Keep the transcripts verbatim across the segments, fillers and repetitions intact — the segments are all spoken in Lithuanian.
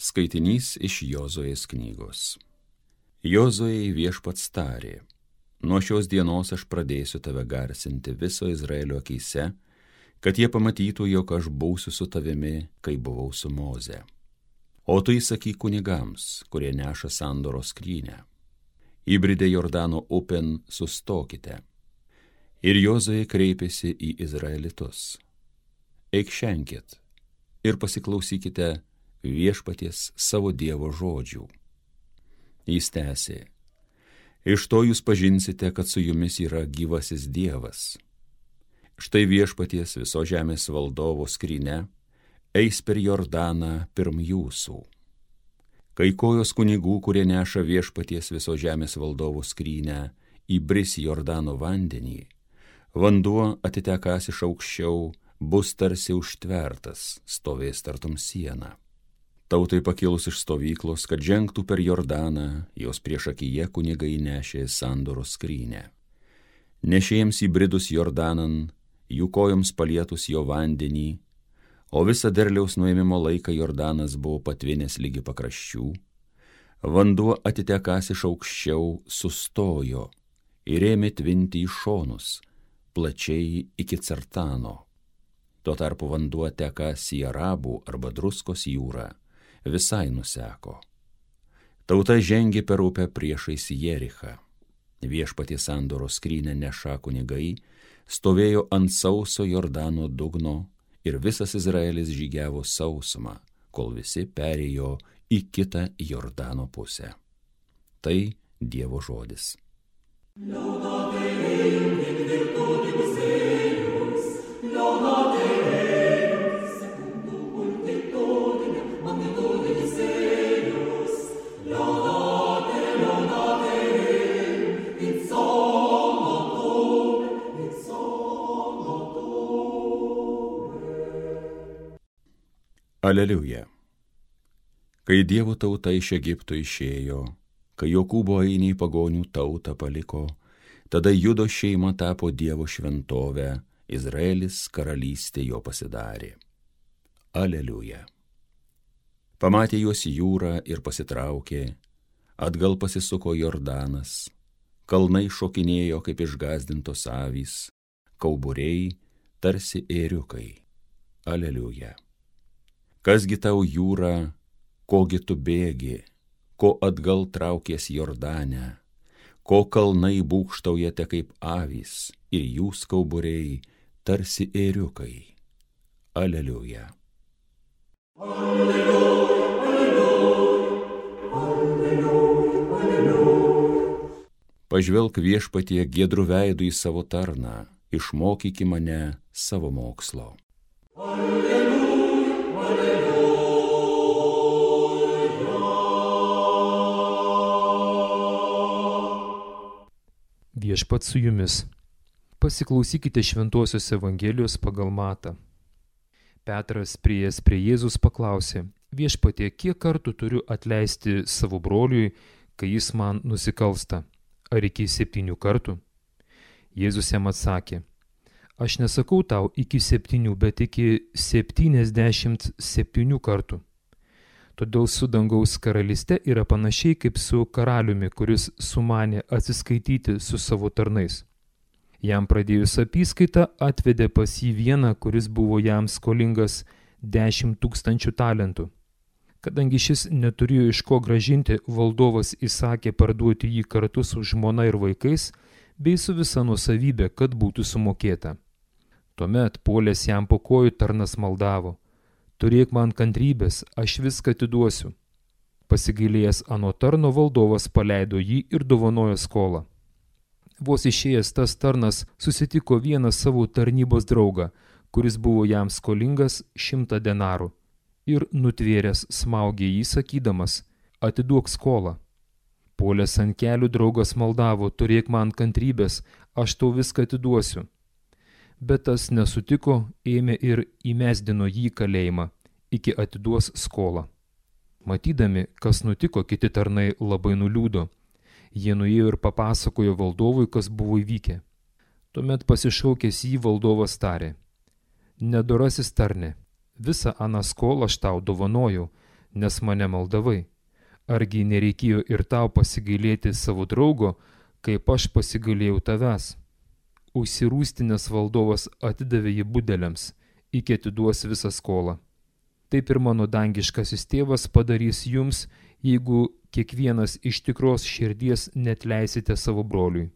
Skaitinys iš Jozuės knygos. Jozuei viešpats tarė: nuo šios dienos aš pradėsiu tave garsinti viso Izraelio akyse, kad jie pamatytų, jog aš būsiu su tavimi, kai buvau su Moze. O tu įsakyk kunigams, kurie neša sandoros skrynią: įbridę Jordano upėn sustokite. Ir Jozuė kreipėsi į izraelitus: eik šenkit ir pasiklausykite viešpaties savo Dievo žodžių. Jis tęsė: iš to jūs pažinsite, kad su jumis yra gyvasis Dievas. Štai viešpaties viso žemės valdovo skrynia eis per Jordaną pirm jūsų. Kai kojos kunigų, kurie neša viešpaties viso žemės valdovo skrynią, įbris į Jordano vandenį, vanduo atitekąs iš aukščiau, bus tarsi užtvertas, stovės tartum siena. Tautai pakilus iš stovyklos, kad žengtų per Jordaną, jos priešakyje kunigai nešė sandoros skrynę. Nešėjams įbridus Jordanan, jų kojoms palietus jo vandenį, o visą derliaus nuėmimo laiką Jordanas buvo patvinęs lygi pakraščių, vanduo atitekąs iš aukščiau sustojo ir ėmė tvinti į šonus, plačiai iki Cartano. Tuo tarpu vanduo tekąs į Arabų arba Druskos jūrą visai nuseko. Tauta žengė per upę priešais Jerichą. Viešpaties sandoros skrynią nešą kunigai stovėjo ant sauso Jordano dugno ir visas Izraelis žygiavo sausumą, kol visi perėjo į kitą Jordano pusę. Tai Dievo žodis. Aleliuja. Kai Dievo tauta iš Egipto išėjo, kai Jokūbo ainiai pagonių tautą paliko, tada Judo šeima tapo Dievo šventovę, Izraelis karalystė jo pasidarė. Aleliuja. Pamatė juos jūrą ir pasitraukė, atgal pasisuko Jordanas, kalnai šokinėjo kaip išgąsdintos avys, kauburiai tarsi ėriukai. Aleliuja. Kasgi tau jūra, kogi tu bėgi, ko atgal traukies Jordane, ko kalnai būgštaujate kaip avys ir jūs kauburiai tarsi ėriukai. Aleliuja. Aleliuja, aleliuja, aleliuja, aleliuja. Pažvelk viešpatie giedru veidu į savo tarną, išmokyki mane savo mokslo. Aleliuja. Viešpats su jumis. Pasiklausykite šventosios Evangelijos pagal Matą. Petras priėjęs prie Jėzus paklausė: viešpatie, kiek kartų turiu atleisti savo broliui, kai jis man nusikalsta? Ar iki septynių kartų? Jėzus jam atsakė: aš nesakau tau iki septynių, bet iki septyniasdešimt septynių kartų. Todėl su dangaus karalyste yra panašiai kaip su karaliumi, kuris sumanė atsiskaityti su savo tarnais. Jam pradėjus apyskaitą atvedė pas jį vieną, kuris buvo jam skolingas dešimt tūkstančių talentų. Kadangi šis neturėjo iš ko grąžinti, valdovas įsakė parduoti jį kartu su žmona ir vaikais, bei su visa nuosavybė, kad būtų sumokėta. Tuomet puolęs jam po kojų tarnas maldavo: turėk man kantrybės, aš viską atiduosiu. Pasigailėjęs ano tarno, valdovas paleido jį ir dovanojo skolą. Vos išėjęs tas tarnas susitiko vieną savo tarnybos draugą, kuris buvo jam skolingas šimtą denarų, ir nutvėręs smaugė jį sakydamas: atiduok skolą. Puolęs ant kelių draugas maldavo: turėk man kantrybės, aš tau viską atiduosiu. Bet tas nesutiko, ėmė ir įmesdino jį į kalėjimą, iki atiduos skolą. Matydami, kas nutiko, kiti tarnai labai nuliūdo. Jie nuėjo ir papasakojo valdovui, kas buvo įvykę. Tuomet pasišaukęs jį valdovas tarė: nedorasis tarne, visą aną skolą aš tau dovanojau, nes mane maldavai? Argi nereikėjo ir tau pasigailėti savo draugo, kaip aš pasigailėjau tavęs? Užsirūstinės valdovas atidavė jį budeliams, iki atiduos visą skolą. Taip ir mano dangiškasis tėvas padarys jums, jeigu kiekvienas iš tikros širdies netleisite savo broliui.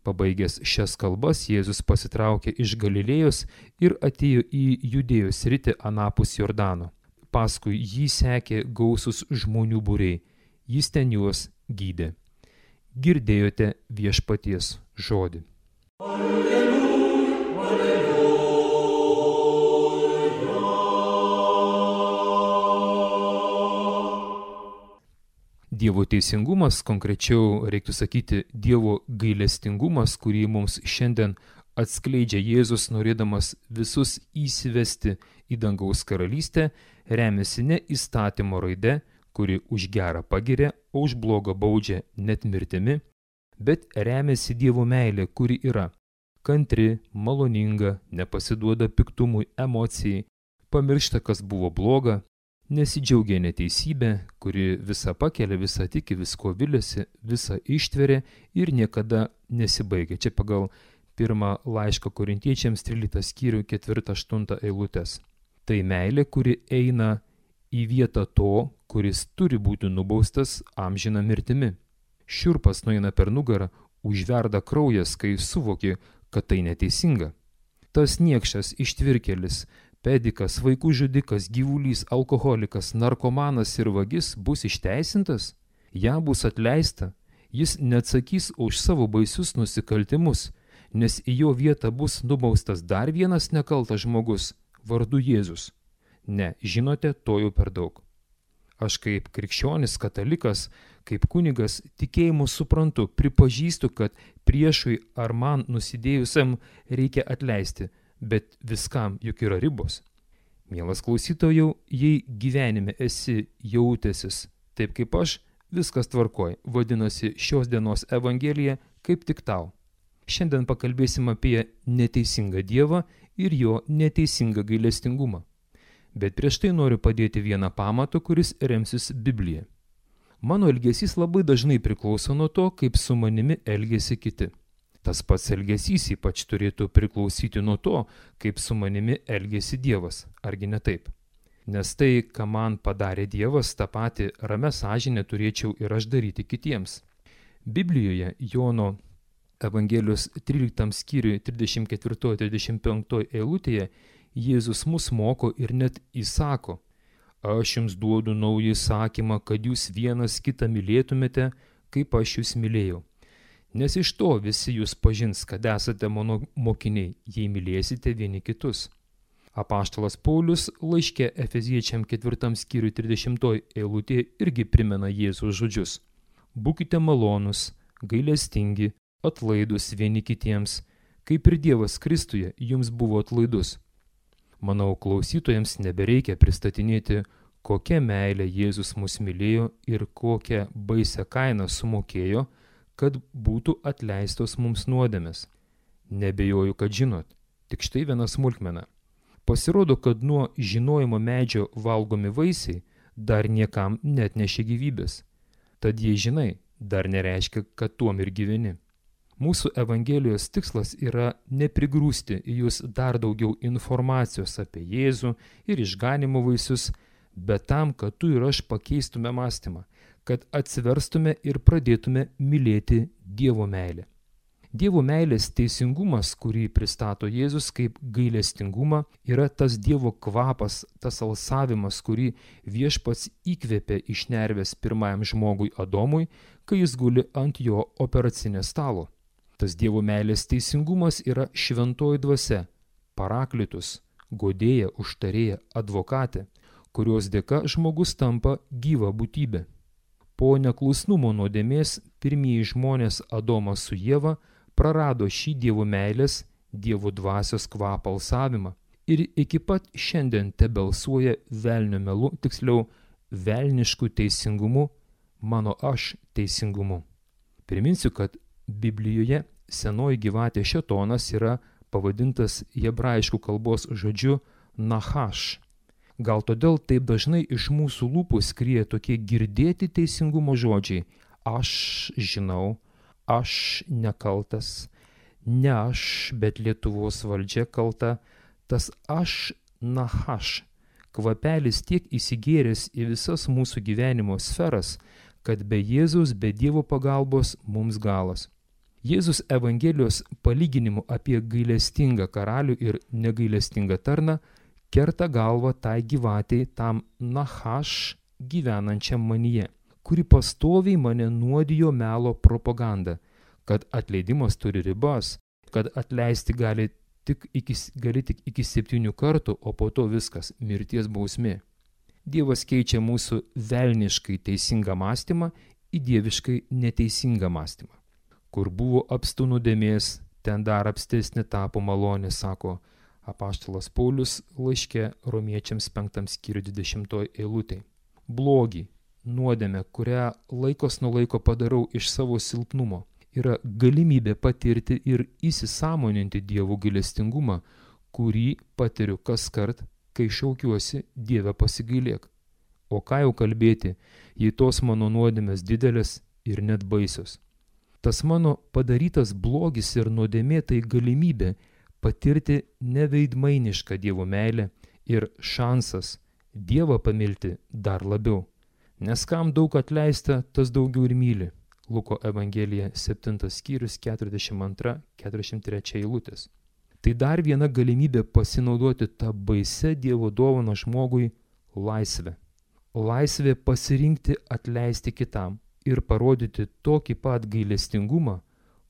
Pabaigęs šias kalbas, Jėzus pasitraukė iš Galilėjos ir atėjo į Judėjos sritį anapus Jordano. Paskui jį sekė gausus žmonių būriai, jis ten juos gydė. Girdėjote viešpaties žodį. Dievo teisingumas, konkrečiau reiktų sakyti Dievo gailestingumas, kurį mums šiandien atskleidžia Jėzus, norėdamas visus įsivesti į dangaus karalystę, remiasi ne įstatymo raide, kuri už gerą pagiria, o už blogą baudžia net mirtimi, bet remiasi Dievo meilė, kuri yra kantri, maloninga, nepasiduoda piktumui, emocijai, pamiršta, kas buvo bloga, nesidžiaugia neteisybė, kuri visą pakelia, visą tiki, visko viliasi, visą ištveria ir niekada nesibaigia. Čia pagal pirmą laišką Korintiečiams tryliktą skyrių ketvirtą aštuntą eilutės. Tai meilė, kuri eina į vietą to, kuris turi būti nubaustas amžina mirtimi. Šiurpas nueina per nugarą, užverda kraujas, kai suvoki, kad tai neteisinga. Tas niekšas ištvirkėlis, pedikas, vaikų žudikas, gyvulys, alkoholikas, narkomanas ir vagis bus išteisintas, jam bus atleista, jis neatsakys už savo baisius nusikaltimus, nes į jo vietą bus nubaustas dar vienas nekaltas žmogus, vardu Jėzus. Ne, žinote, to jau per daug. Aš kaip krikščionis, katalikas, kaip kunigas tikėjimu suprantu, pripažįstu, kad priešui ar man nusidėjusiam reikia atleisti, bet viskam juk yra ribos. Mielas klausytojau, jei gyvenime esi jautęsis taip kaip aš, viskas tvarkoj, vadinasi šios dienos Evangelija kaip tik tau. Šiandien pakalbėsim apie neteisingą Dievą ir jo neteisingą gailestingumą. Bet prieš tai noriu padėti vieną pamatą, kuris remsis Biblija. Mano elgesys labai dažnai priklauso nuo to, kaip su manimi elgiasi kiti. Tas pats elgesys ypač turėtų priklausyti nuo to, kaip su manimi elgėsi Dievas, argi ne taip? Nes tai, ką man padarė Dievas, tą patį ramę sąžinę turėčiau ir aš daryti kitiems. Biblijoje Jono Evangelijos tryliktam skyriui trisdešimt ketvirtoje trisdešimt penktoje eilutėje Jėzus mus moko ir net įsako: aš jums duodu naują įsakymą, kad jūs vienas kitą mylėtumėte, kaip aš jūs mylėjau. Nes iš to visi jūs pažins, kad esate mano mokiniai, jei mylėsite vieni kitus. Apaštalas Paulius laiške Efeziečiam ketvirtam skyriui trisdešimtoje eilutėje irgi primena Jėzaus žodžius: būkite malonūs, gailestingi, atlaidūs vieni kitiems, kaip ir Dievas Kristuje jums buvo atlaidus. Manau, klausytojams nebereikia pristatinėti, kokia meilė Jėzus mus mylėjo ir kokią baisią kainą sumokėjo, kad būtų atleistos mums nuodėmės. Nebejoju, kad žinot, tik štai viena smulkmena. Pasirodo, kad nuo žinojimo medžio valgomi vaisiai dar niekam netnešė gyvybės. Tad jei žinai, dar nereiškia, kad tuom ir gyveni. Mūsų Evangelijos tikslas yra neprigrūsti į jūs dar daugiau informacijos apie Jėzų ir išganimo vaisius, bet tam, kad tu ir aš pakeistume mąstymą, kad atsiverstume ir pradėtume mylėti Dievo meilę. Dievo meilės teisingumas, kurį pristato Jėzus kaip gailestingumą, yra tas Dievo kvapas, tas alsavimas, kurį viešpats įkvėpė iš nervės pirmajam žmogui Adomui, kai jis guli ant jo operacinės stalo. Tas Dievo meilės teisingumas yra šventoji dvasia, paraklitus, guodėja, užtarėja, advokatė, kurios dėka žmogus tampa gyva būtybė. Po neklusnumo nuodėmės pirmieji žmonės Adomas su Ieva prarado šį Dievo meilės, Dievo dvasios kvapą alsavimą ir iki pat šiandien tebelsuoja velnio melu, tiksliau velnišku teisingumu, mano aš teisingumu. Priminsiu, kad Biblijoje senoji gyvatė šėtonas yra pavadintas hebrajiškų kalbos žodžiu nachaš. Gal todėl taip dažnai iš mūsų lūpų skrieja tokie girdėti teisingumo žodžiai: aš žinau, aš nekaltas, ne aš, bet Lietuvos valdžia kalta. Tas aš nahaš kvapelis tiek įsigėręs į visas mūsų gyvenimo sferas, kad be Jėzaus, be Dievo pagalbos mums galas. Jėzus Evangelijos palyginimu apie gailestingą karalių ir negailestingą tarną kerta galvą tai gyvatei, tam nahaš gyvenančiam manyje, kuri pastoviai mane nuodijo melo propaganda, kad atleidimas turi ribas, kad atleisti gali tik iki, gali tik iki septynių kartų, o po to viskas – mirties bausmė. Dievas keičia mūsų velniškai teisingą mąstymą į dieviškai neteisingą mąstymą. Kur buvo apstu nuodėmės, ten dar apstesnė tapo malonė, sako apaštalas Paulius laiške Romiečiams penktam skyriui dvidešimtoj eilutėj. Blogį, nuodėmę, kurią laikos nuo laiko padarau iš savo silpnumo, yra galimybė patirti ir įsisąmoninti Dievo gailestingumą, kurį patiriu kaskart, kai šaukiuosi: Dieve, pasigailėk. O ką jau kalbėti, jei tos mano nuodėmės didelės ir net baisios. Tas mano padarytas blogis ir nuodėmė tai galimybė patirti neveidmainišką Dievo meilę ir šansas Dievą pamilti dar labiau. Nes kam daug atleista, tas daugiau ir myli. Luko Evangelija septintas skyrius keturiasdešimt antra keturiasdešimt trečia eilutės. Tai dar viena galimybė pasinaudoti tą baisę Dievo dovaną žmogui laisvę. Laisvė pasirinkti atleisti kitam ir parodyti tokį pat gailestingumą,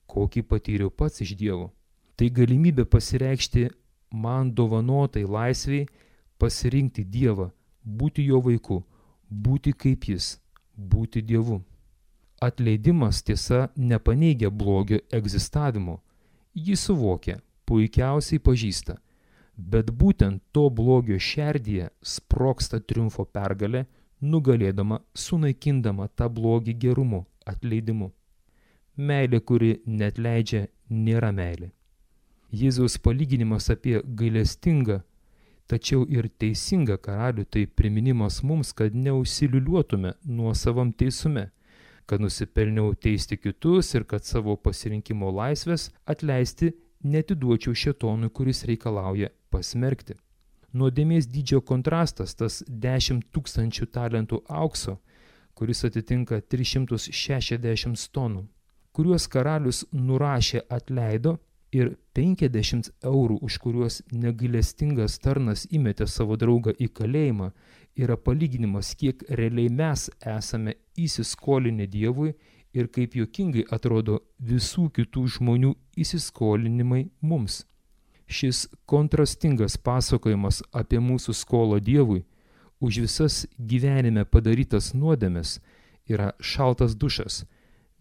kokį patyriau pats iš Dievo. Tai galimybė pasireikšti man dovanotai laisviai, pasirinkti Dievą, būti jo vaiku, būti kaip jis, būti Dievu. Atleidimas tiesa nepaneigia blogio egzistavimo. Jį suvokia, puikiausiai pažįsta, bet būtent to blogio šerdyje sprogsta triumfo pergalė, nugalėdama, sunaikindama tą blogį gerumu, atleidimu. Meilė, kuri neatleidžia, nėra meilė. Jėzaus palyginimas apie gailestingą, tačiau ir teisingą karalių tai priminimas mums, kad neužsiliuliuotume nuosavam teisume, kad nusipelniau teisti kitus ir kad savo pasirinkimo laisvės atleisti netiduočiau šėtonui, kuris reikalauja pasmerkti. Nuodėmės dydžio kontrastas, tas dešimt tūkstančių talentų aukso, kuris atitinka tris šimtus šešiasdešimt tonų, kuriuos karalius nurašė atleido, ir penkiasdešimt eurų, už kuriuos negailestingas tarnas įmetė savo draugą į kalėjimą, yra palyginimas, kiek realiai mes esame įsiskolinę Dievui ir kaip juokingai atrodo visų kitų žmonių įsiskolinimai mums. Šis kontrastingas pasakojimas apie mūsų skolą Dievui už visas gyvenime padarytas nuodėmes yra šaltas dušas,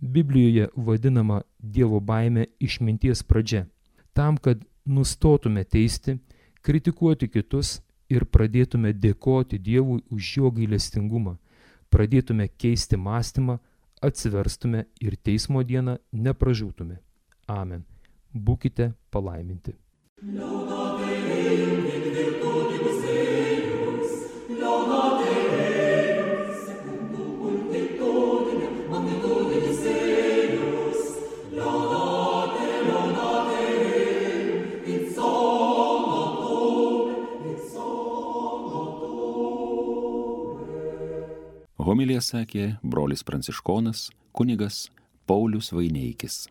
Biblijoje vadinama Dievo baime išminties pradžia, tam, kad nustotume teisti, kritikuoti kitus ir pradėtume dėkoti Dievui už jo gailestingumą, pradėtume keisti mąstymą, atsiverstume ir teismo dieną nepražūtume. Amen. Būkite palaiminti. Homiliją sakė brolis pranciškonas kunigas Paulius Vaineikis.